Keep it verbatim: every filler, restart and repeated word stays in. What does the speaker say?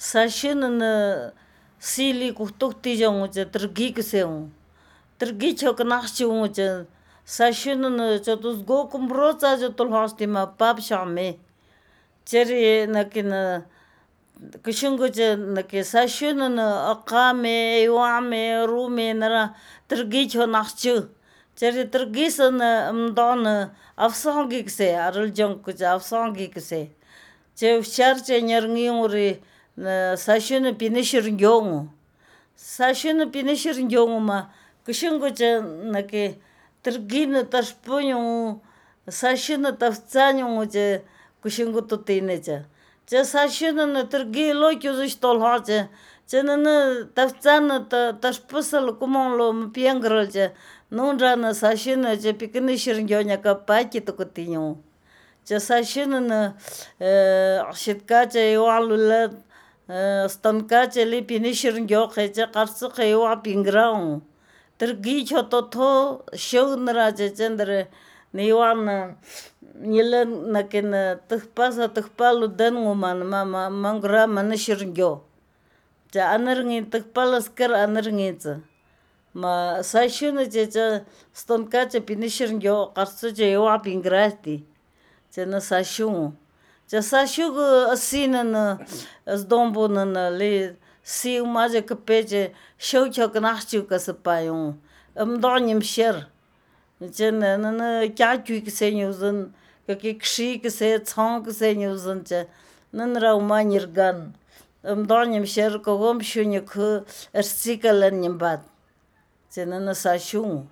Сашин сили кухтуктижонгу другиксеу другичок нахчунгу сашин чотузгокум броца жотулхостима папшаме чери накина кышынгуче наки сашин акаме юаме руме нара другичо нахчу чери другисэн мдон авсонгиксе арылжонкуч авсонгиксе че вчарче нернгиури сашин пиниширнгёнгу сашин пиниширнгёнгума кышынгуче наки другин ташпуню сашин тавцанюнгу че кышынгуту тинече че сашин другие локюзуш толхоче чэнэ тавцан ташпусал кумонло пьенгрылче нунжана сашин че пикниширнгёняка паки тукутиню че сашин шиткаче юалула станкаче ли пиниширнгёхе че қарцухе юа пинграу другие чото шоунраче чендре ниван ниле накин тхпаса тхпалу денгуман мама мангра манаширнгё че анернги тхпаласкер анернгиц ма сашин че станкаче пиниширнгё қарцуче юа пинграти че на сашун че сашуг асинан сдомбунан ли сиумаже кпече шоучок нахчука сапаюн мдоним шер че на кячук сенюзен каки кшик се цонг сенюзен че ннра уманирган мдоним шер когом шуник эрцикален нимбат че на сашун.